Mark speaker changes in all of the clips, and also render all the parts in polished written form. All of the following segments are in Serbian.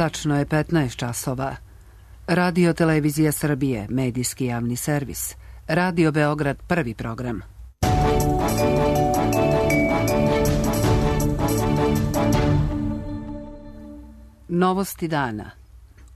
Speaker 1: Tačno je 15 časova. Radio Televizija Srbije, medijski javni servis. Radio Beograd, prvi program. Novosti dana.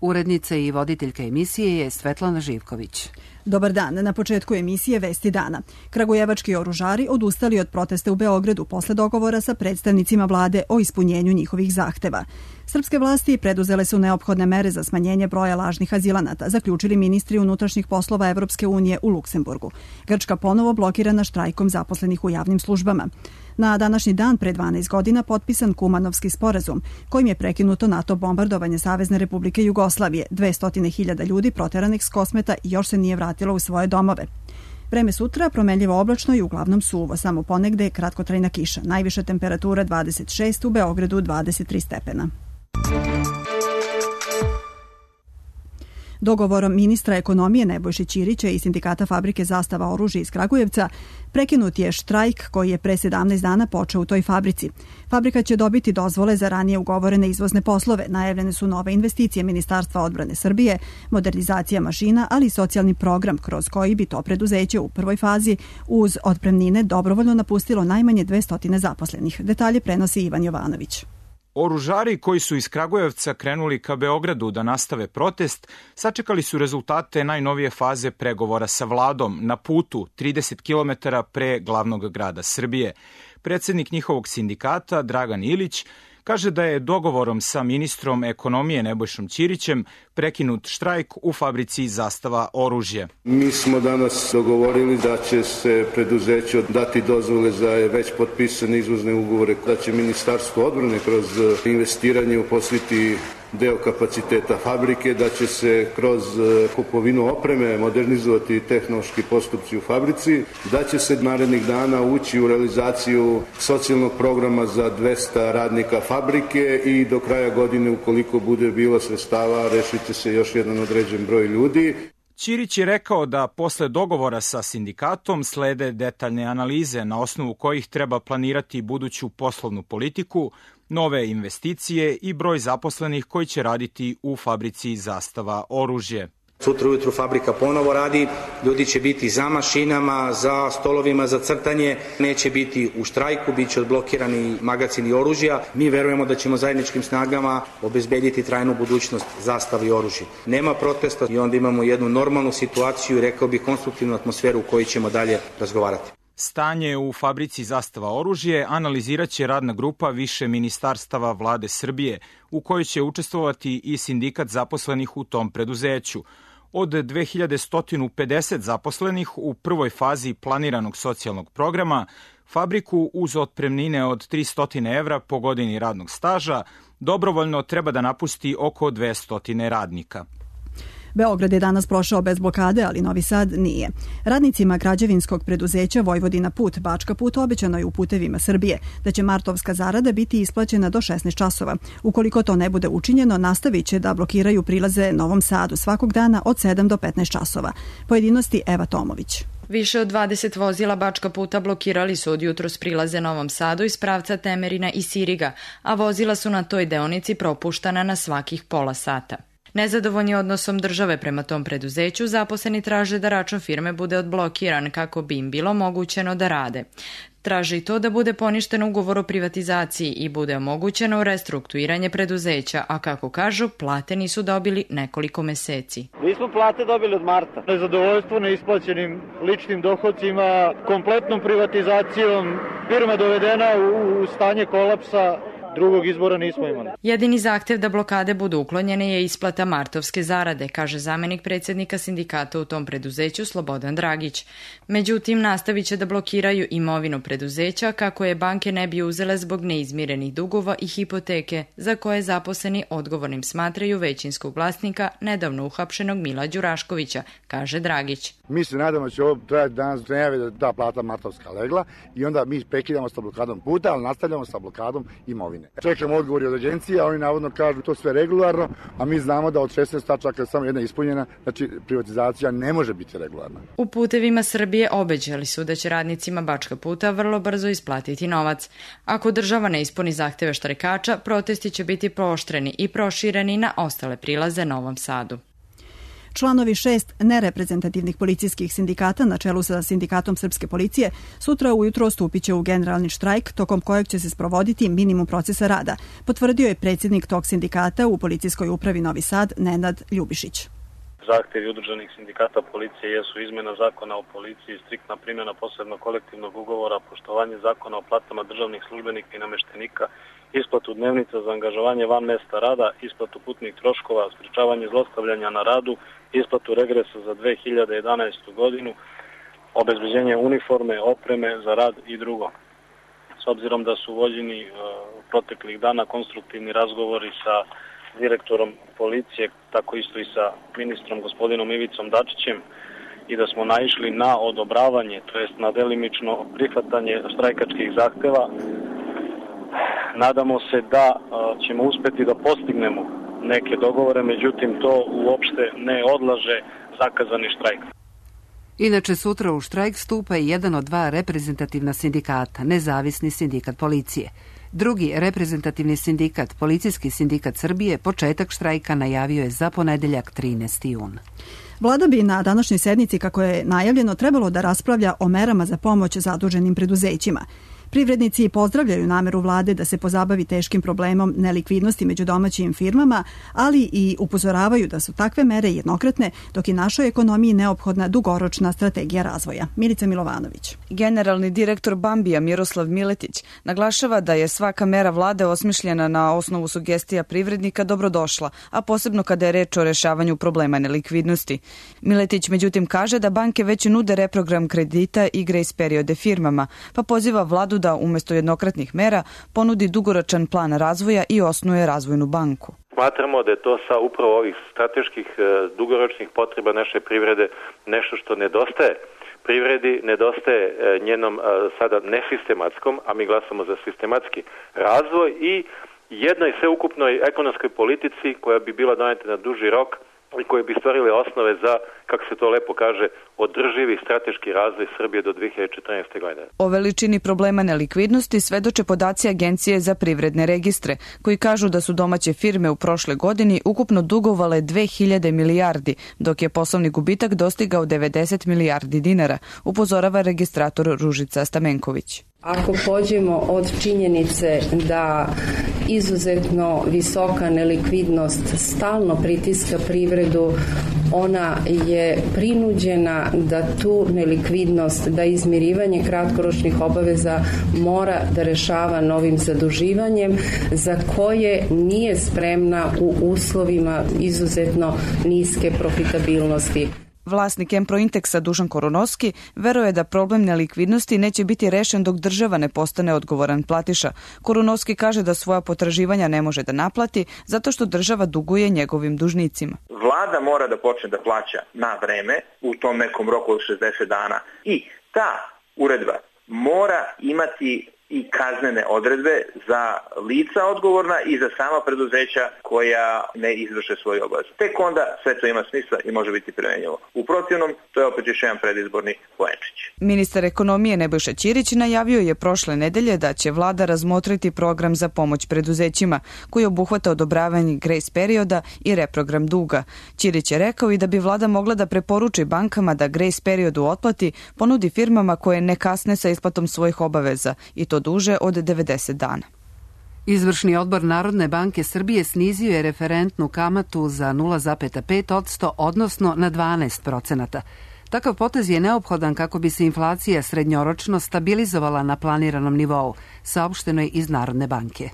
Speaker 1: Urednica i voditeljka emisije je Svetlana Živković.
Speaker 2: Dobar dan. Na početku emisije Vesti dana. Kragujevački oružari odustali od protesta u Beogradu posle dogovora sa predstavnicima vlade o ispunjenju njihovih zahteva. Srpske vlasti preduzele su neophodne mere za smanjenje broja lažnih azilanata, zaključili ministri unutrašnjih poslova Evropske unije u Luksemburgu. Grčka ponovo blokirana štrajkom zaposlenih u javnim službama. Na današnji dan pre 12 godina potpisan Kumanovski sporazum, kojim je prekinuto NATO bombardovanje Savezne Republike Jugoslavije. 200.000 ljudi proteranih s Kosmeta još se nije vratilo u svoje domove. Vreme sutra promenljivo oblačno i uglavnom suvo, samo ponegde kratkotrajna kiša. Najviša temperatura 26, u Beogradu 23 stepena. Dogovorom ministra ekonomije Nebojše Ćirića i sindikata fabrike Zastava oružja iz Kragujevca prekinut je štrajk koji je pre 17 dana počeo u toj fabrici. Fabrika će dobiti dozvole za ranije ugovorene izvozne poslove. Najavljene su nove investicije Ministarstva odbrane Srbije, modernizacija mašina, ali i socijalni program kroz koji bi to preduzeće u prvoj fazi uz otpremnine dobrovoljno napustilo najmanje 200 zaposlenih. Detalje prenosi Ivan Jovanović.
Speaker 3: Oružari koji su iz Kragujevca krenuli ka Beogradu da nastave protest, sačekali su rezultate najnovije faze pregovora sa vladom na putu 30 km pre glavnog grada Srbije. Predsednik njihovog sindikata, Dragan Ilić, kaže da je dogovorom sa ministrom ekonomije Nebojšom Ćirićem prekinut štrajk u fabrici Zastava oružje.
Speaker 4: Mi smo danas dogovorili da će se preduzeću dati dozvole za već potpisane izvozne ugovore, da će Ministarstvo odbrane kroz investiranje uposliti deo kapaciteta fabrike, da će se kroz kupovinu opreme modernizovati tehnološki postupci u fabrici, da će se narednih dana ući u realizaciju socijalnog programa za 200 radnika fabrike i do kraja godine, ukoliko bude bilo sredstava, rešit će se još jedan određen broj ljudi.
Speaker 3: Ćirić je rekao da posle dogovora sa sindikatom slede detaljne analize na osnovu kojih treba planirati buduću poslovnu politiku, nove investicije i broj zaposlenih koji će raditi u fabrici Zastava oružje.
Speaker 5: Sutra ujutru fabrika ponovo radi, ljudi će biti za mašinama, za stolovima za crtanje, neće biti u štrajku, bit će odblokirani magacini oružja. Mi verujemo da ćemo zajedničkim snagama obezbediti trajnu budućnost Zastavi oružja. Nema protesta i onda imamo jednu normalnu situaciju i rekao bih konstruktivnu atmosferu u kojoj ćemo dalje razgovarati.
Speaker 3: Stanje u fabrici Zastava oružje analizirat će radna grupa više ministarstava vlade Srbije, u kojoj će učestvovati i sindikat zaposlenih u tom preduzeću. Od 2150 zaposlenih u prvoj fazi planiranog socijalnog programa, fabriku uz otpremnine od 300 evra po godini radnog staža dobrovoljno treba da napusti oko 200 radnika.
Speaker 2: Beograd je danas prošao bez blokade, ali Novi Sad nije. Radnicima građevinskog preduzeća Vojvodina Put, Bačka Put obećano je u Putevima Srbije da će martovska zarada biti isplaćena do 16 časova. Ukoliko to ne bude učinjeno, nastavit će da blokiraju prilaze Novom Sadu svakog dana od 7 do 15 časova. Pojedinosti Eva Tomović.
Speaker 6: Više od 20 vozila Bačka Puta blokirali su od jutros prilaze Novom Sadu iz pravca Temerina i Siriga, a vozila su na toj deonici propuštana na svakih pola sata. Nezadovoljni odnosom države prema tom preduzeću, zaposleni traže da račun firme bude odblokiran kako bi im bilo omogućeno da rade. Traže i to da bude poništen ugovor o privatizaciji i bude omogućeno restrukturiranje preduzeća, a kako kažu, plate nisu dobili nekoliko meseci.
Speaker 7: Mi smo plate dobili od marta. Nezadovoljstvo neisplaćenim ličnim dohodcima, kompletnom privatizacijom, firma dovedena u stanje kolapsa. Drugog izbora nismo imali.
Speaker 6: Jedini zahtev da blokade budu uklonjene je isplata martovske zarade, kaže zamenik predsjednika sindikata u tom preduzeću Slobodan Dragić. Međutim, nastavit će da blokiraju imovinu preduzeća kako je banke ne bi uzele zbog neizmirenih dugova i hipoteke za koje zaposleni odgovornim smatraju većinskog vlasnika nedavno uhapšenog Mila Đuraškovića, kaže Dragić.
Speaker 8: Mi se nadamo da će ovo trajati danas najave da ta plata martovska legla i onda mi prekidamo sa blokadom puta, ali nastavljamo sa blokadom imovine. godine. Čekamo odgovori od agencije, a oni navodno kažu to sve regularno, a mi znamo da od 16 tačaka samo jedna ispunjena, znači privatizacija ne može biti regularna.
Speaker 6: U Putevima Srbije obećali su da će radnicima Bačka puta vrlo brzo isplatiti novac. Ako država ne ispuni zahteve štrajkača, protesti će biti pooštreni i prošireni na ostale prilaze Novom Sadu.
Speaker 2: Članovi 6 nereprezentativnih policijskih sindikata na čelu sa Sindikatom srpske policije sutra ujutro stupit će u generalni štrajk tokom kojeg će se sprovoditi minimum procesa rada, potvrdio je predsjednik tog sindikata u Policijskoj upravi Novi Sad Nenad Ljubišić.
Speaker 9: Zahtevi udruženih sindikata policije jesu izmjena zakona o policiji, striktna primjena posebnog kolektivnog ugovora, poštovanje zakona o platama državnih službenika i nameštenika, isplatu dnevnica za angažovanje van mesta rada, isplatu putnih troškova, sprečavanje zlostavljanja na radu, isplatu regresa za 2011. godinu, obezbeđenje uniforme, opreme za rad i drugo. S obzirom da su vođeni proteklih dana konstruktivni razgovori sa direktorom policije, tako isto i sa ministrom gospodinom Ivicom Dačićem, i da smo naišli na odobravanje, to jest na delimično prihvatanje štrajkačkih zahteva, nadamo se da ćemo uspeti da postignemo neke dogovore, međutim to uopšte ne odlaže zakazani štrajk.
Speaker 1: Inače, sutra u štrajk stupa i jedan od dva reprezentativna sindikata, Nezavisni sindikat policije. Drugi reprezentativni sindikat, Policijski sindikat Srbije, početak štrajka najavio je za ponedeljak 13. jun.
Speaker 2: Vlada bi na današnjoj sednici, kako je najavljeno, trebalo da raspravlja o merama za pomoć zaduženim preduzećima. Privrednici pozdravljaju nameru vlade da se pozabavi teškim problemom nelikvidnosti među domaćim firmama, ali i upozoravaju da su takve mere jednokratne, dok je našoj ekonomiji neophodna dugoročna strategija razvoja. Milica Milovanović.
Speaker 10: Generalni direktor Bambija Miroslav Miletić naglašava da je svaka mera vlade osmišljena na osnovu sugestija privrednika dobrodošla, a posebno kada je reč o rešavanju problema nelikvidnosti. Miletić međutim kaže da banke već nude reprogram kredita i grace periode firmama, pa poziva vladu da umjesto jednokratnih mera ponudi dugoročan plan razvoja i osnuje razvojnu banku.
Speaker 11: Smatramo da je to sa upravo ovih strateških dugoročnih potreba naše privrede nešto što nedostaje privredi, nedostaje njenom sada nesistematskom, a mi glasamo za sistematski razvoj i jednoj sveukupnoj ekonomskoj politici koja bi bila doneta na duži rok i koje bi stvorile osnove za, kako se to lepo kaže, održivi strateški razvoj Srbije do 2014. godine.
Speaker 10: O veličini problema nelikvidnosti svedoče podaci Agencije za privredne registre, koji kažu da su domaće firme u prošle godini ukupno dugovale 2000 milijardi, dok je poslovni gubitak dostigao 90 milijardi dinara, upozorava registrator Ružica Stamenković.
Speaker 12: Ako pođemo od činjenice da izuzetno visoka nelikvidnost stalno pritiska privredu, ona je prinuđena da tu nelikvidnost, da izmirivanje kratkoročnih obaveza mora da rešava novim zaduživanjem, za koje nije spremna u uslovima izuzetno niske profitabilnosti.
Speaker 10: Vlasnik Emprointeksa Dušan Koronovski veruje da problem nelikvidnosti neće biti rešen dok država ne postane odgovoran platiša. Koronovski kaže da svoja potraživanja ne može da naplati zato što država duguje njegovim dužnicima.
Speaker 13: Vlada mora da počne da plaća na vreme u tom nekom roku od 60 dana i ta uredba mora imati i kaznene odredbe za lica odgovorna i za sama preduzeća koja ne izvrše svoju obavezu. Tek onda sve to ima smisla i može biti primenjivo. U protivnom, to je opet još jedan predizborni poenčić.
Speaker 10: Ministar ekonomije Nebojša Ćirić najavio je prošle nedelje da će vlada razmotriti program za pomoć preduzećima, koji obuhvata odobravanje grace perioda i reprogram duga. Ćirić je rekao i da bi vlada mogla da preporuči bankama da grace periodu otplati ponudi firmama koje ne kasne sa isplatom svojih obaveza i to duže od 90 dana.
Speaker 1: Izvršni odbor Narodne banke Srbije snizio je referentnu kamatu za 0,5%, odnosno na 12%. Takav potez je neophodan kako bi se inflacija srednjoročno stabilizovala na planiranom nivou, saopšteno je iz Narodne banke.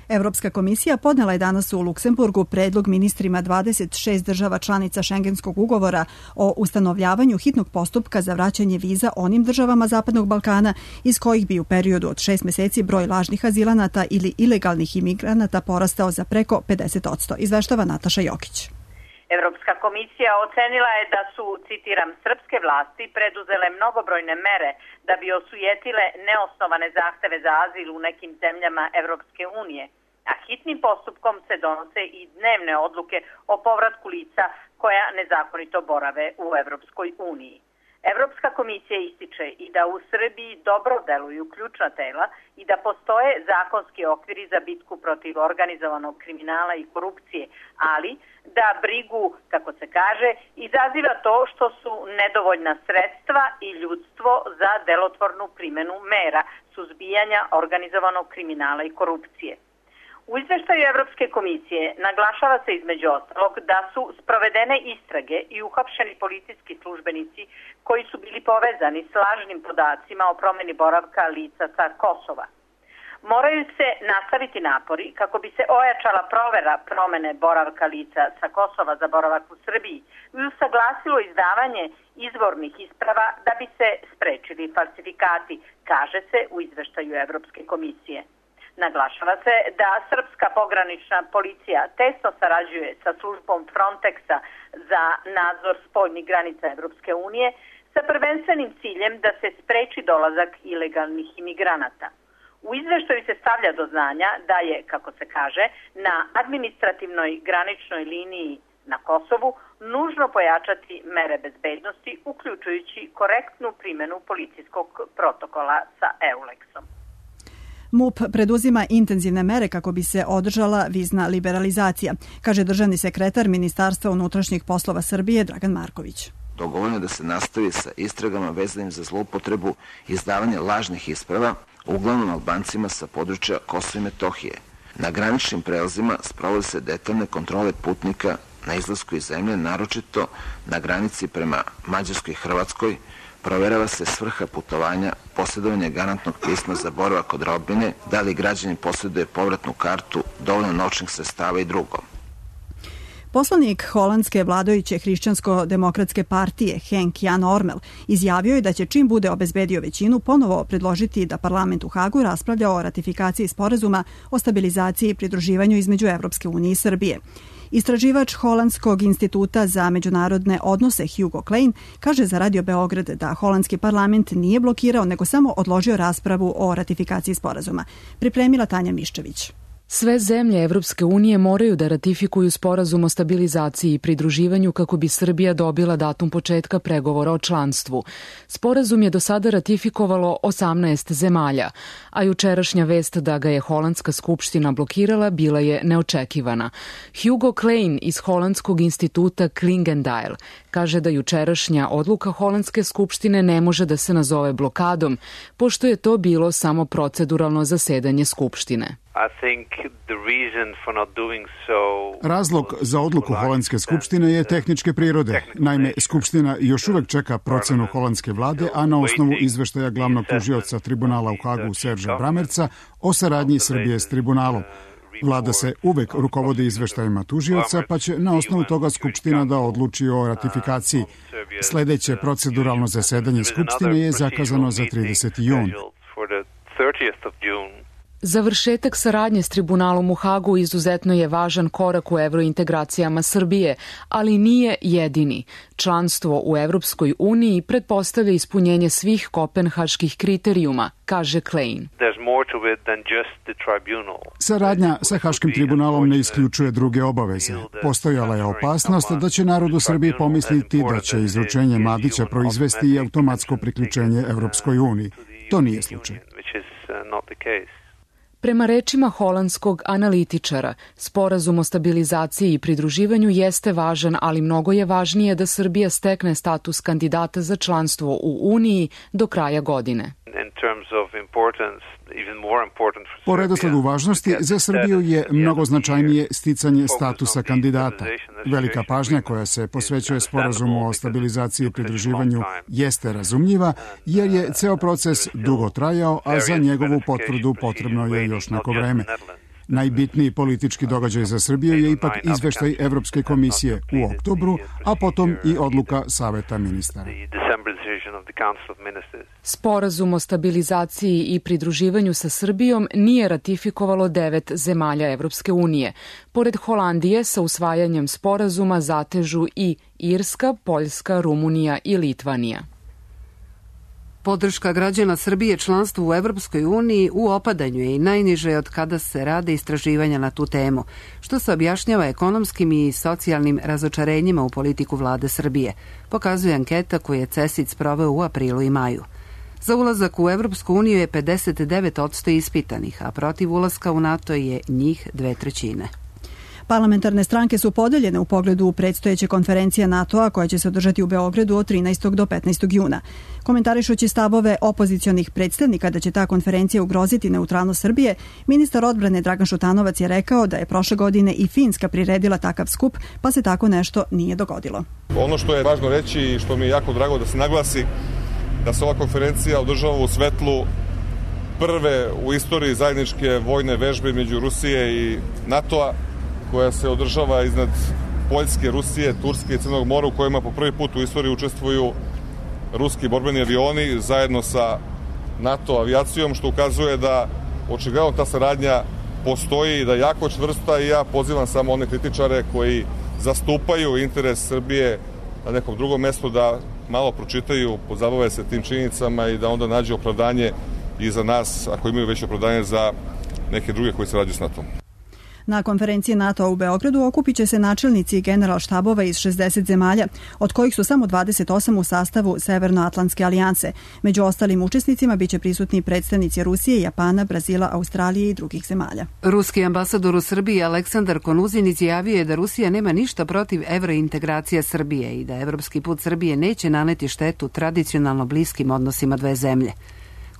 Speaker 2: Evropska komisija podnela je danas u Luksemburgu predlog ministrima 26 država članica Šengenskog ugovora o ustanovljavanju hitnog postupka za vraćanje viza onim državama Zapadnog Balkana iz kojih bi u periodu od 6 meseci broj lažnih azilanata ili ilegalnih imigranata porastao za preko 50%, izveštava Nataša Jokić.
Speaker 14: Evropska komisija ocenila je da su, citiram, srpske vlasti preduzele mnogobrojne mere da bi osujetile neosnovane zahteve za azil u nekim zemljama Evropske unije, a hitnim postupkom se donose i dnevne odluke o povratku lica koja nezakonito borave u Evropskoj uniji. Evropska komisija ističe i da u Srbiji dobro deluju ključna tela i da postoje zakonski okviri za bitku protiv organizovanog kriminala i korupcije, ali da brigu, kako se kaže, izaziva to što su nedovoljna sredstva i ljudstvo za delotvornu primenu mera suzbijanja organizovanog kriminala i korupcije. U izveštaju Evropske komisije naglašava se između ostalog da su sprovedene istrage i uhapšeni policijski službenici koji su bili povezani s lažnim podacima o promeni boravka lica sa Kosova. Moraju se nastaviti napori kako bi se ojačala provera promene boravka lica sa Kosova za boravak u Srbiji i usaglasilo izdavanje izvornih isprava da bi se sprečili falsifikati, kaže se u izveštaju Evropske komisije. Naglašava se da srpska pogranična policija tesno sarađuje sa službom Frontexa za nadzor spoljnih granica Evropske unije sa prvenstvenim ciljem da se spreči dolazak ilegalnih imigranata. U izveštaju se stavlja do znanja da je, kako se kaže, na administrativnoj graničnoj liniji na Kosovu nužno pojačati mere bezbednosti, uključujući korektnu primjenu policijskog protokola sa EULEX-om.
Speaker 2: MUP preduzima intenzivne mere kako bi se održala vizna liberalizacija, kaže državni sekretar Ministarstva unutrašnjih poslova Srbije Dragan Marković.
Speaker 15: Dogovoreno je da se nastavi sa istragama vezanim za zloupotrebu izdavanja lažnih isprava, uglavnom Albancima sa područja Kosova i Metohije. Na graničnim prelazima sprovode se detaljne kontrole putnika na izlasku iz zemlje, naročito na granici prema Mađarskoj i Hrvatskoj. Proverava se svrha putovanja, posjedovanje garantnog pisma za boravak kod rodbine, da li građanin posjeduje povratnu kartu, dovoljno novčanih sredstava i drugo.
Speaker 2: Poslanik holandske vladajuće hrišćansko-demokratske partije Henk Jan Ormel izjavio je da će čim bude obezbedio većinu ponovo predložiti da parlament u Hagu raspravlja o ratifikaciji sporazuma o stabilizaciji i pridruživanju između Evropske unije i Srbije. Istraživač Holandskog instituta za međunarodne odnose Hugo Klein kaže za Radio Beograd da holandski parlament nije blokirao, nego samo odložio raspravu o ratifikaciji sporazuma. Pripremila Tanja Miščević.
Speaker 16: Sve zemlje Evropske unije moraju da ratifikuju sporazum o stabilizaciji i pridruživanju kako bi Srbija dobila datum početka pregovora o članstvu. Sporazum je do sada ratifikovalo 18 zemalja, a jučerašnja vest da ga je Holandska skupština blokirala bila je neočekivana. Hugo Klein iz Holandskog instituta Klingendael kaže da jučerašnja odluka Holandske skupštine ne može da se nazove blokadom, pošto je to bilo samo proceduralno zasedanje skupštine.
Speaker 17: Razlog za odluku Holandske skupštine je tehničke prirode. Naime, skupština još uvek čeka procenu holandske vlade, a na osnovu izveštaja glavnog tužioca tribunala u Hagu Serža Bramerca o saradnji Srbije s tribunalom. Vlada se uvek rukovodi izveštajima tužioca, pa će na osnovu toga skupština da odluči o ratifikaciji. Sledeće proceduralno zasedanje skupštine je zakazano za 30. jun.
Speaker 16: Završetak saradnje s tribunalom u Hagu izuzetno je važan korak u evrointegracijama Srbije, ali nije jedini. Članstvo u Evropskoj uniji pretpostavlja ispunjenje svih kopenhaških kriterijuma, kaže Klein.
Speaker 17: Saradnja sa Haškim tribunalom ne isključuje druge obaveze. Postojala je opasnost da će narod u Srbiji pomisliti da će izručenje Mladića proizvesti i automatsko priključenje Evropskoj uniji. To nije slučaj.
Speaker 16: Prema rečima holandskog analitičara, sporazum o stabilizaciji i pridruživanju jeste važan, ali mnogo je važnije da Srbija stekne status kandidata za članstvo u Uniji do kraja godine.
Speaker 17: Po redosledu važnosti, za Srbiju je mnogo značajnije sticanje statusa kandidata. Velika pažnja koja se posvećuje sporazumu o stabilizaciji i pridruživanju jeste razumljiva, jer je ceo proces dugo trajao, a za njegovu potvrdu potrebno je još neko vreme. Najbitniji politički događaj za Srbiju je ipak izveštaj Evropske komisije u oktobru, a potom i odluka Saveta ministara.
Speaker 16: Sporazum o stabilizaciji i pridruživanju sa Srbijom nije ratifikovalo 9 zemalja Evropske unije. Pored Holandije, sa usvajanjem sporazuma zatežu i Irska, Poljska, Rumunija i Litvanija.
Speaker 1: Podrška građana Srbije članstvu u Evropskoj uniji u opadanju je i najniže od kada se rade istraživanja na tu temu, što se objašnjava ekonomskim i socijalnim razočarenjima u politiku vlade Srbije, pokazuje anketa koju je CESID sproveo u aprilu i maju. Za ulazak u Evropsku uniju je 59% ispitanih, a protiv ulaska u NATO je njih 2/3.
Speaker 2: Parlamentarne stranke su podeljene u pogledu predstojeće konferencije NATO-a koja će se održati u Beogradu od 13. do 15. juna. Komentarišući stavove opozicionih predstavnika da će ta konferencija ugroziti neutralnost Srbije, ministar odbrane Dragan Šutanovac je rekao da je prošle godine i Finska priredila takav skup, pa se tako nešto nije dogodilo.
Speaker 18: Ono što je važno reći i što mi je jako drago da se naglasi, da se ova konferencija održava u svetlu prve u istoriji zajedničke vojne vežbe među Rusije i NATO-a, koja se održava iznad Poljske, Rusije, Turske i Crnog mora, u kojima po prvi put u istoriji učestvuju ruski borbeni avioni zajedno sa NATO avijacijom, što ukazuje da očigledno ta saradnja postoji i da je jako čvrsta, i ja pozivam samo one kritičare koji zastupaju interes Srbije na nekom drugom mestu da malo pročitaju, pozabave se tim činjenicama i da onda nađe opravdanje i za nas, ako imaju već opravdanje za neke druge koji sarađuju s NATO-om.
Speaker 2: Na konferenciji NATO u Beogradu okupit će se načelnici generalštabova iz 60 zemalja, od kojih su samo 28 u sastavu Severnoatlantske alijanse. Među ostalim učesnicima biće prisutni predstavnici Rusije, Japana, Brazila, Australije i drugih zemalja.
Speaker 1: Ruski ambasador u Srbiji Aleksandar Konuzin izjavio je da Rusija nema ništa protiv evrointegracija Srbije i da evropski put Srbije neće naneti štetu tradicionalno bliskim odnosima dve zemlje.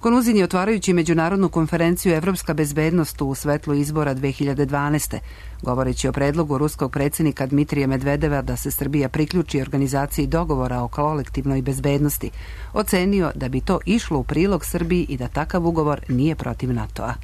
Speaker 1: Konuzin je, otvarajući međunarodnu konferenciju Evropska bezbednost u svetlu izbora 2012. govoreći o predlogu ruskog predsjednika Dmitrija Medvedeva da se Srbija priključi organizaciji dogovora o kolektivnoj bezbednosti, ocenio da bi to išlo u prilog Srbiji i da takav ugovor nije protiv NATO-a.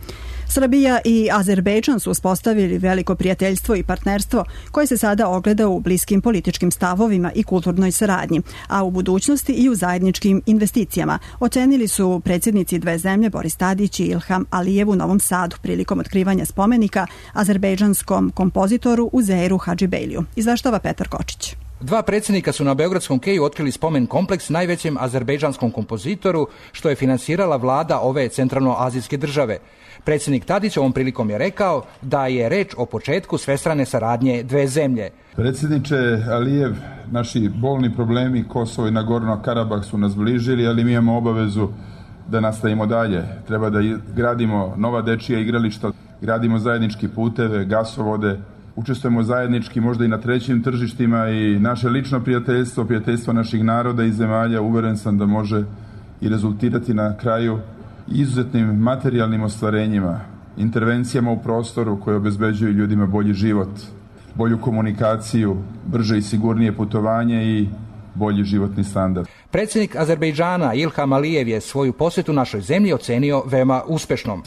Speaker 2: Srbija i Azerbejdžan su uspostavili veliko prijateljstvo i partnerstvo koje se sada ogleda u bliskim političkim stavovima i kulturnoj saradnji, a u budućnosti i u zajedničkim investicijama, ocenili su predsjednici dve zemlje Boris Tadić i Ilham Alijev u Novom Sadu prilikom otkrivanja spomenika azerbejdžanskom kompozitoru Uzeiru Hadžibejliju. Izveštava Petar Kočić.
Speaker 19: Dva predsjednika su na Beogradskom keju otkrili spomen kompleks najvećem azerbejdžanskom kompozitoru, što je finansirala vlada ove centralnoazijske države. Predsjednik Tadić ovom prilikom je rekao da je reč o početku svestrane saradnje dve zemlje.
Speaker 20: Predsjedniče Alijev, naši bolni problemi Kosovo i Nagorno Karabah su nas bližili, ali mi imamo obavezu da nastavimo dalje. Treba da gradimo nova dečija igrališta, gradimo zajednički puteve, gasovode, učestvujemo zajednički možda i na trećim tržištima, i naše lično prijateljstvo, prijateljstvo naših naroda i zemalja, uveren sam da može i rezultirati na kraju izuzetnim materijalnim ostvarenjima, intervencijama u prostoru koje obezbeđuju ljudima bolji život, bolju komunikaciju, brže i sigurnije putovanje i bolji životni standard.
Speaker 19: Predsjednik Azerbejdžana Ilham Alijev je svoju posjetu našoj zemlji ocenio veoma uspešnom.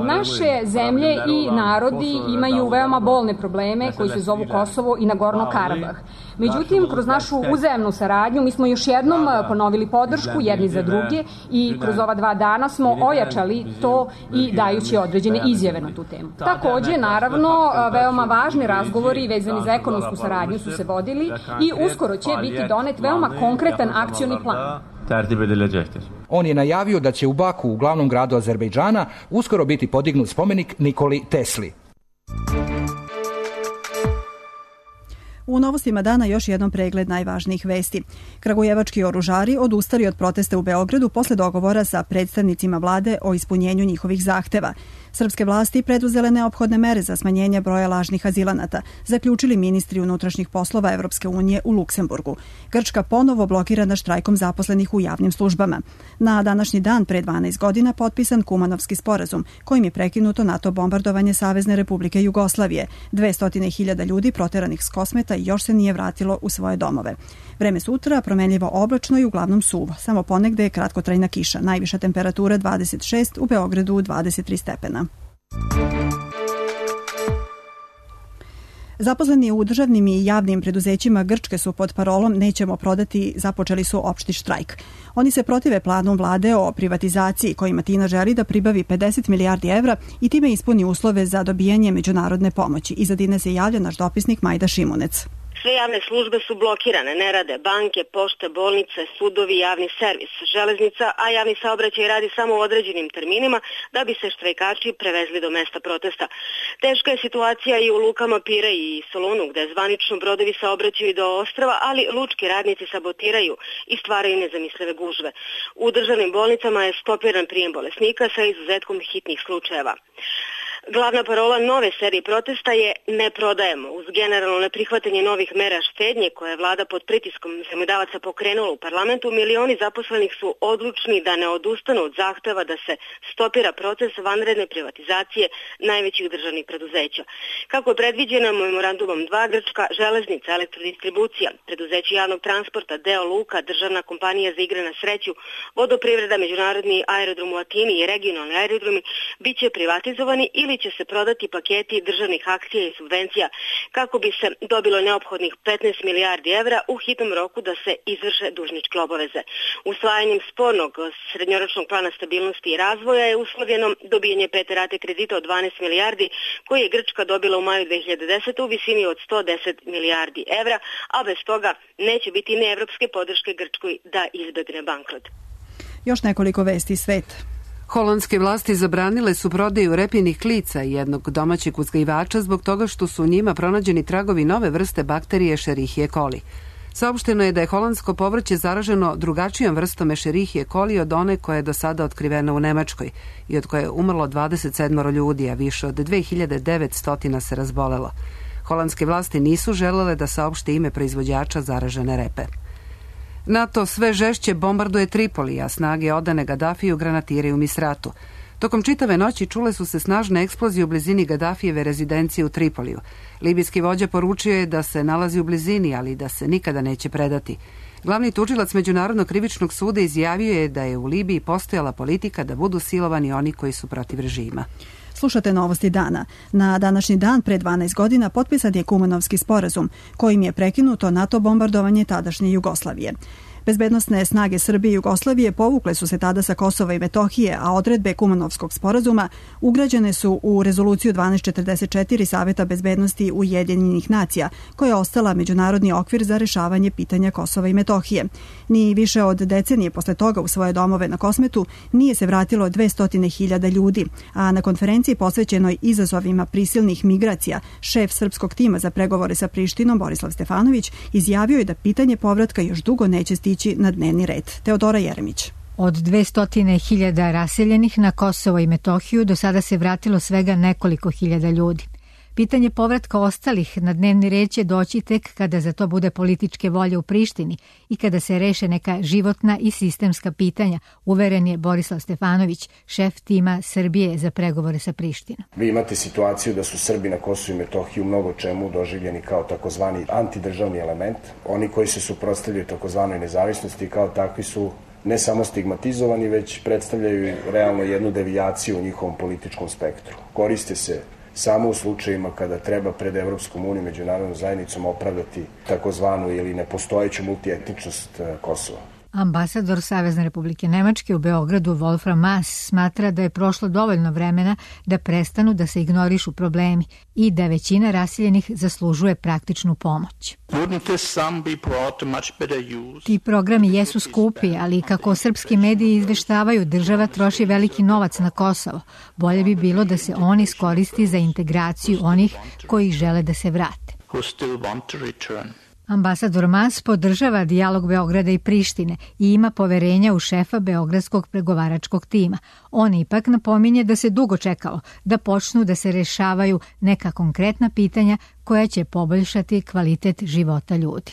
Speaker 21: Naše zemlje i narodi imaju veoma bolne probleme koji se zovu Kosovo i Nagorno Karabah. Međutim, kroz našu uzajamnu saradnju mi smo još jednom ponovili podršku jedni za druge i kroz ova 2 dana smo ojačali to i dajući određene izjave na tu temu. Također, naravno, veoma važni razgovori vezani za ekonomsku saradnju su se vodili i uskoro će biti donet veoma konkretan akcioni plan.
Speaker 19: On je najavio da će u Baku, u glavnom gradu Azerbejdžana, uskoro biti podignut spomenik Nikoli Tesli.
Speaker 2: U novostima dana još jednom pregled najvažnijih vesti. Kragujevački oružari odustali od protesta u Beogradu posle dogovora sa predstavnicima vlade o ispunjenju njihovih zahteva. Srpske vlasti preduzele neophodne mere za smanjenje broja lažnih azilanata, zaključili ministri unutrašnjih poslova Evropske unije u Luksemburgu. Grčka ponovo blokirana štrajkom zaposlenih u javnim službama. Na današnji dan pre 12 godina potpisan Kumanovski sporazum, kojim je prekinuto NATO bombardovanje Savezne Republike Jugoslavije. 200.000 ljudi proteranih s Kosmeta još se nije vratilo u svoje domove. Vreme sutra promenljivo oblačno i uglavnom suvo. Samo ponegde je kratkotrajna kiša. Najviša temperatura 26, u Beogradu 23 stepena. Zaposleni u državnim i javnim preduzećima Grčke su pod parolom "Nećemo prodati" započeli su opšti štrajk. Oni se protive planu vlade o privatizaciji kojima Atina želi da pribavi 50 milijardi evra i time ispuni uslove za dobijanje međunarodne pomoći. Iz Atine se javlja naš dopisnik Majda Šimunec.
Speaker 4: Sve javne službe su blokirane, ne rade banke, pošte, bolnice, sudovi, javni servis, železnica, a javni saobraćaj radi samo u određenim terminima da bi se štrajkači prevezli do mesta protesta. Teška je situacija i u lukama Pire i Solunu, gde zvanično brodovi saobraćaju do ostrva, ali lučki radnici sabotiraju i stvaraju nezamislive gužve. U državnim bolnicama je stopiran prijem bolesnika sa izuzetkom hitnih slučajeva. Glavna parola nove serije protesta je "Ne prodajemo". Uz generalno neprihvatanje novih mera štednje koje je vlada pod pritiskom zemljodavaca pokrenula u parlamentu, milioni zaposlenih su odlučni da ne odustanu od zahteva da se stopira proces vanredne privatizacije najvećih državnih preduzeća. Kako je predviđeno memorandumom 2, Grčka železnica, elektrodistribucija, preduzeće javnog transporta, deo luka, državna kompanija za igre na sreću, vodoprivreda, međunarodni aerodrom u Atini i regionalni aerodromi biće privatizovani ili će se prodati paketi državnih akcija i subvencija kako bi se dobilo neophodnih 15 milijardi evra u hitnom roku da se izvrše dužničke obaveze. Usvajanjem spornog srednjoročnog plana stabilnosti i razvoja je uslovljeno dobijanje 5. rate kredita od 12 milijardi koji je Grčka dobila u maju 2010. u visini od 110 milijardi evra, a bez toga neće biti ni evropske podrške Grčkoj da izbegne bankrot.
Speaker 2: Još nekoliko vesti iz sveta.
Speaker 1: Holandske vlasti zabranile su prodaju repinih klica i jednog domaćeg uzgajivača zbog toga što su u njima pronađeni tragovi nove vrste bakterije Escherichia coli. Saopšteno je da je holandsko povrće zaraženo drugačijom vrstom Escherichia coli od one koja je do sada otkrivena u Nemačkoj i od koje je umrlo 27 ljudi, a više od 2900 se razbolelo. Holandske vlasti nisu želele da saopšte ime proizvođača zaražene repe. NATO sve žešće bombarduje Tripoli, a snage odane Gadafiju granatiraju Misratu. Tokom čitave noći čule su se snažne eksplozije u blizini Gadafijeve rezidencije u Tripoliju. Libijski vođa poručio je da se nalazi u blizini, ali da se nikada neće predati. Glavni tužilac Međunarodnog krivičnog suda izjavio je da je u Libiji postojala politika da budu silovani oni koji su protiv režima.
Speaker 2: Slušate novosti dana. Na današnji dan pre 12 godina potpisan je Kumanovski sporazum, kojim je prekinuto NATO bombardovanje tadašnje Jugoslavije. Bezbednosne snage Srbije i Jugoslavije povukle su se tada sa Kosova i Metohije, a odredbe Kumanovskog sporazuma ugrađene su u rezoluciju 1244 Saveta bezbednosti Ujedinjenih nacija, koja je ostala međunarodni okvir za rešavanje pitanja Kosova i Metohije. Ni više od decenije posle toga u svoje domove na Kosmetu nije se vratilo 200.000 ljudi, a na konferenciji posvećenoj izazovima prisilnih migracija, šef srpskog tima za pregovore sa Prištinom Borislav Stefanović izjavio je da pitanje povratka još dugo neće stići na dnevni red. Teodora Jeremić.
Speaker 22: Od 200.000 raseljenih na Kosovo i Metohiju do sada se vratilo svega nekoliko hiljada ljudi. Pitanje povratka ostalih na dnevni red će doći tek kada za to bude političke volje u Prištini i kada se reše neka životna i sistemska pitanja, uveren je Borislav Stefanović, šef tima Srbije za pregovore sa Prištinom.
Speaker 23: Vi imate situaciju da su Srbi na Kosovu i Metohiji u mnogo čemu doživljeni kao takozvani antidržavni element. Oni koji se suprotstavljaju takozvanoj nezavisnosti kao takvi su ne samo stigmatizovani, već predstavljaju realno jednu devijaciju u njihovom političkom spektru. Koriste se samo u slučajima kada treba pred Evropskom unijom i međunarodnom zajednicom opravdati takozvanu ili nepostojeću multietničnost Kosova.
Speaker 22: Ambasador Savezne Republike Nemačke u Beogradu Wolfram Maass smatra da je prošlo dovoljno vremena da prestanu da se ignorišu problemi i da većina raseljenih zaslužuje praktičnu pomoć. Ti programi jesu skupi, ali kako srpski mediji izveštavaju, država troši veliki novac na Kosovo. Bolje bi bilo da se on iskoristi za integraciju onih koji žele da se vrate. Ambasador Maass podržava dijalog Beograda i Prištine i ima poverenja u šefa Beogradskog pregovaračkog tima. On ipak napominje da se dugo čekalo da počnu da se rešavaju neka konkretna pitanja koja će poboljšati kvalitet života ljudi.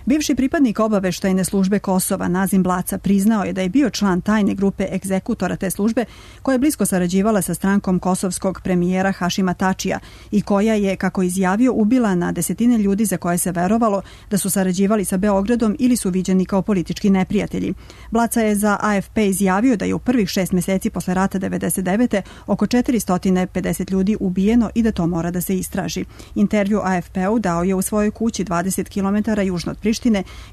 Speaker 2: Bivši pripadnik obaveštajne službe Kosova Nazim Blaca priznao je da je bio član tajne grupe egzekutora te službe koja je blisko sarađivala sa strankom kosovskog premijera Hašima Tačija i koja je, kako izjavio, ubila na desetine ljudi za koje se verovalo da su sarađivali sa Beogradom ili su viđeni kao politički neprijatelji. Blaca je za AFP izjavio da je u prvih 6 meseci posle rata 1999. oko 450 ljudi ubijeno i da to mora da se istraži. Intervju AFP-u dao je u svojoj kući 20 km južno od Prištine,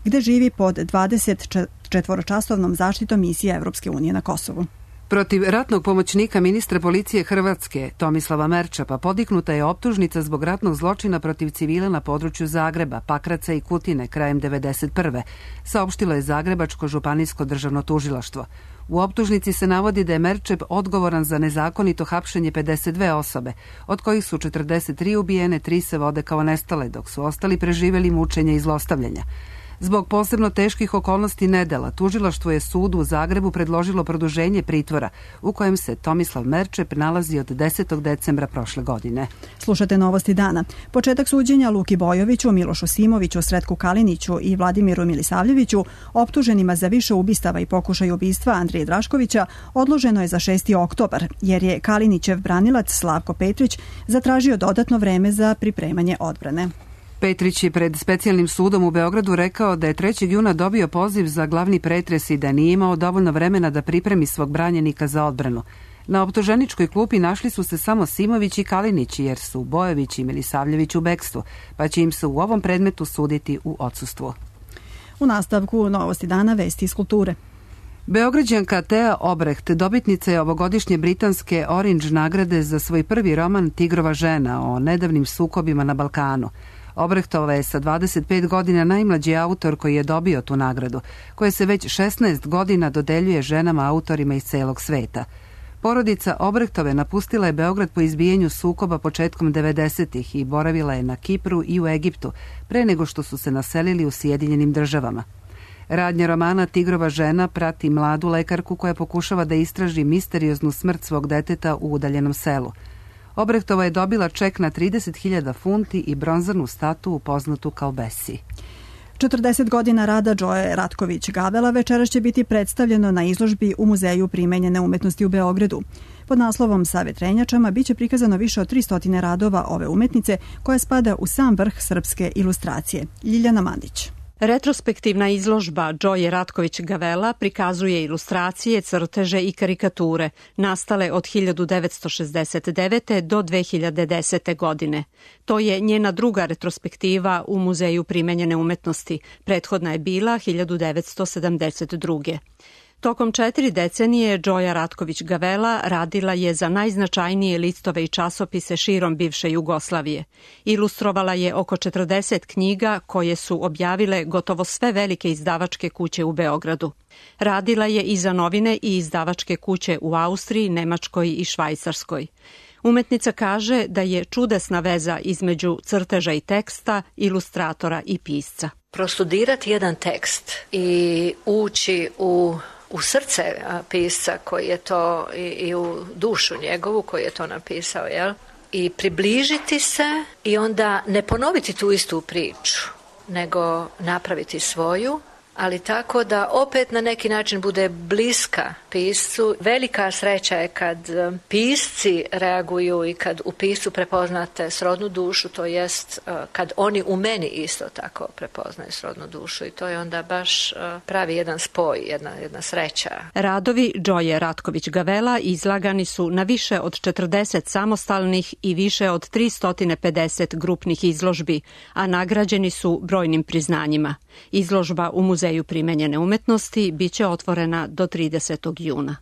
Speaker 2: gde živi pod 24-časovnom zaštitom misije Evropske unije na Kosovu.
Speaker 1: Protiv ratnog pomoćnika ministra policije Hrvatske Tomislava Merčapa podignuta je optužnica zbog ratnog zločina protiv civila na području Zagreba, Pakraca i Kutine krajem 1991. Saopštilo je Zagrebačko županijsko državno tužilaštvo. U optužnici se navodi da je Merčep odgovoran za nezakonito hapšenje 52 osobe, od kojih su 43 ubijene, 3 se vode kao nestale, dok su ostali preživjeli mučenja i zlostavljanja. Zbog posebno teških okolnosti nedela, tužilaštvo je sudu u Zagrebu predložilo produženje pritvora u kojem se Tomislav Merčep nalazi od 10. decembra prošle godine.
Speaker 2: Slušate Novosti dana. Početak suđenja Luki Bojoviću, Milošu Simoviću, Sretku Kaliniću i Vladimiru Milisavljeviću, optuženima za više ubistava i pokušaj ubistva Andrije Draškovića, odloženo je za 6. oktobar, jer je Kalinićev branilac Slavko Petrić zatražio dodatno vreme za pripremanje odbrane.
Speaker 1: Petrić je pred specijalnim sudom u Beogradu rekao da je 3. juna dobio poziv za glavni pretres i da nije imao dovoljno vremena da pripremi svog branjenika za odbranu. Na optuženičkoj klupi našli su se samo Simović i Kalinić, jer su Bojović i Milisavljević u bekstvu, pa će im se u ovom predmetu suditi u odsustvu.
Speaker 2: U nastavku Novosti dana, vesti iz kulture.
Speaker 1: Beograđanka Tea Obreht, dobitnica je ovogodišnje britanske Orange nagrade za svoj prvi roman Tigrova žena o nedavnim sukobima na Balkanu. Obrehtova je sa 25 godina najmlađi autor koji je dobio tu nagradu, koja se već 16 godina dodeljuje ženama autorima iz celog sveta. Porodica Obrehtove napustila je Beograd po izbijenju sukoba početkom 90-ih i boravila je na Kipru i u Egiptu, pre nego što su se naselili u Sjedinjenim Državama. Radnja romana Tigrova žena prati mladu lekarku koja pokušava da istraži misterioznu smrt svog deteta u udaljenom selu. Obrehtova je dobila ček na 30.000 funti i bronzanu statu poznatu kao Bessie.
Speaker 2: 40 godina rada Džoje Ratković Gavela večeras će biti predstavljeno na izložbi u Muzeju primenjene umetnosti u Beogradu. Pod naslovom Sa vetrenjačama biće prikazano više od 300 radova ove umetnice koja spada u sam vrh srpske ilustracije. Ljiljana Mandić.
Speaker 3: Retrospektivna izložba Džoje Ratković Gavela prikazuje ilustracije, crteže i karikature nastale od 1969. do 2010. godine. To je njena druga retrospektiva u Muzeju primenjene umetnosti. Prethodna je bila 1972. Tokom 4 decenije Džoja Ratković Gavela radila je za najznačajnije listove i časopise širom bivše Jugoslavije. Ilustrovala je oko 40 knjiga koje su objavile gotovo sve velike izdavačke kuće u Beogradu. Radila je i za novine i izdavačke kuće u Austriji, Nemačkoj i Švajcarskoj. Umetnica kaže da je čudesna veza između crteža i teksta, ilustratora i pisca.
Speaker 5: Prostudirati jedan tekst i ući u srce pisca koji je to i u dušu njegovu koji je to napisao, jel? I približiti se i onda ne ponoviti tu istu priču, nego napraviti svoju, ali tako da opet na neki način bude bliska piscu. Velika sreća je kad pisci reaguju i kad u piscu prepoznate srodnu dušu, to jest kad oni u meni isto tako prepoznaju srodnu dušu i to je onda baš pravi jedan spoj, jedna sreća.
Speaker 3: Radovi Džoje Ratković Gavela izlagani su na više od 40 samostalnih i više od 350 grupnih izložbi, a nagrađeni su brojnim priznanjima. Izložba u Muzeju primenjene umetnosti biće otvorena do 30. juna.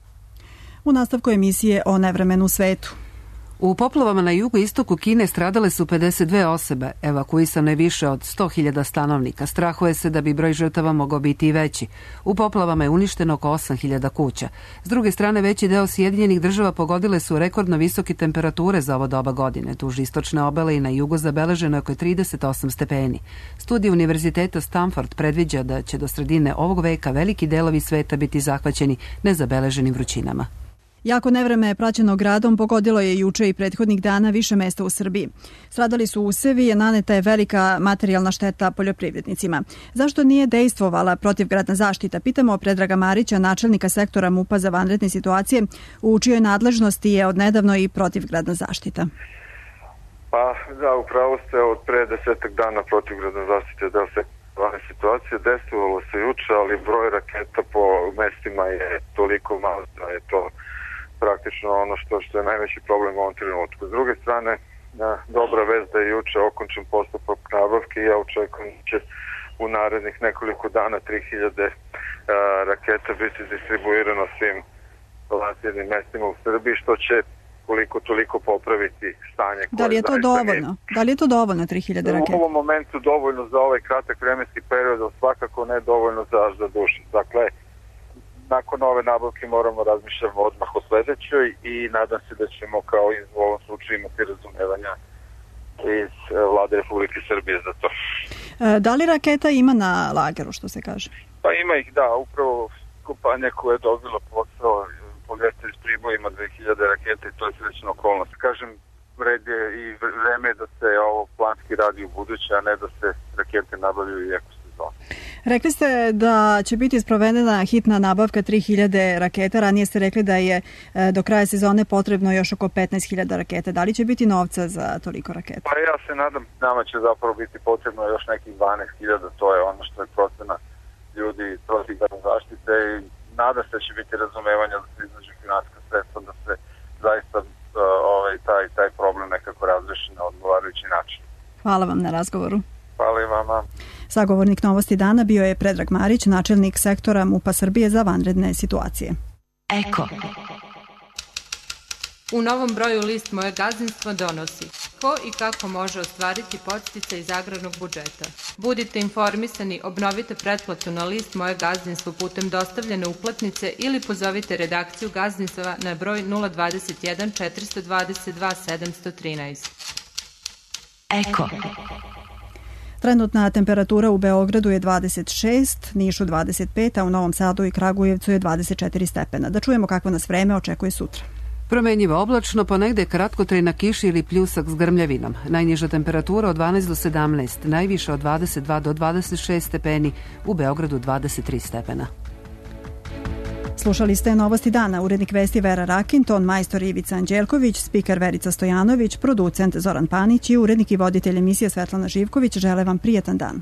Speaker 2: U nastavku emisije o nevremenu svetu.
Speaker 1: U poplavama na jugoistoku Kine stradale su 52 osobe, evakuisano je više od 100.000 stanovnika. Strahuje se da bi broj žrtava mogao biti i veći. U poplavama je uništeno oko 8.000 kuća. S druge strane, veći deo Sjedinjenih Država pogodile su rekordno visoke temperature za ovo doba godine. Duž istočne obale i na jugu zabeleženo je oko 38 stepeni. Studij Univerziteta Stanford predviđa da će do sredine ovog veka veliki delovi sveta biti zahvaćeni nezabeleženim vrućinama.
Speaker 2: Jako nevreme praćeno gradom pogodilo je juče i prethodnih dana više mesta u Srbiji. Stradali su usevi, naneta je velika materijalna šteta poljoprivrednicima. Zašto nije dejstvovala protivgradna zaštita? Pitamo Predraga Marića, načelnika sektora MUP-a za vanredne situacije, u čijoj nadležnosti je odnedavno i protivgradna zaštita.
Speaker 6: Pa da, upravo ste, od pre 10 dana protivgradna zaštita da se vanredne situacije dejstvovalo se juče, ali broj raketa po mestima je toliko malo da je to praktično ono što je najveći problem u ovom trenutku. S druge strane, dobra vest da je juče okončen postupak nabavke i ja očekujem da će u narednih nekoliko dana 3000 raketa biti distribuirano svim lansirnim mestima u Srbiji, što će koliko toliko popraviti stanje.
Speaker 2: Da li je to dovoljno? Da li je to dovoljno 3000 raketa?
Speaker 6: U ovom momentu dovoljno za ovaj kratak vremenski period, ali svakako ne dovoljno za dušu. Dakle, nakon ove nabavke moramo razmišljati odmah o sledećoj i nadam se da ćemo kao i u ovom slučaju imati razumevanja iz Vlade Republike Srbije za to.
Speaker 2: Da li raketa ima na lageru, što se kaže?
Speaker 6: Pa ima ih, da. Upravo kompanija koja je dobila posao Poljester iz Priboja ima 2000 raketa i to je srećna okolnost. Kažem, red je i vreme da se ovo planski radi u buduće, a ne da se rakete nabavljaju i eko sezonu.
Speaker 2: Rekli ste da će biti sprovedena hitna nabavka 3000 raketa, ranije ste rekli da je do kraja sezone potrebno još oko 15.000 raketa. Da li će biti novca za toliko raketa?
Speaker 6: Pa ja se nadam, nama će zapravo biti potrebno još nekih 12.000, to je ono što je procena ljudi protivgradne zaštite i nadam se da će biti razumevanja da se iznađe finansijska sredstva, da se zaista taj problem nekako razreši na odgovarajući način.
Speaker 2: Hvala vam na razgovoru.
Speaker 6: Hvala i vama.
Speaker 2: Sagovornik Novosti dana bio je Predrag Marić, načelnik sektora MUP-a Srbije za vanredne situacije.
Speaker 7: Eko. U novom broju list Moje gazdinstvo donosi ko i kako može ostvariti podsticaj iz agrarnog budžeta. Budite informisani, obnovite pretplatu na list Moje gazdinstvo putem dostavljene uplatnice ili pozovite redakciju gazdinstva na broj 021 422 713.
Speaker 2: Eko. Trenutna temperatura u Beogradu je 26, Nišu 25, a u Novom Sadu i Kragujevcu je 24 stepena. Da čujemo kakvo nas vreme očekuje sutra.
Speaker 1: Promenjivo oblačno, ponegde kratkotrajna kiša ili pljusak s grmljavinom. Najniža temperatura od 12 do 17, najviša od 22 do 26 stepeni, u Beogradu 23 stepena.
Speaker 2: Slušali ste Novosti dana, urednik vesti Vera Rakin, ton majstor Ivica Anđelković, spiker Verica Stojanović, producent Zoran Panić i urednik i voditelj emisije Svetlana Živković žele vam prijetan dan.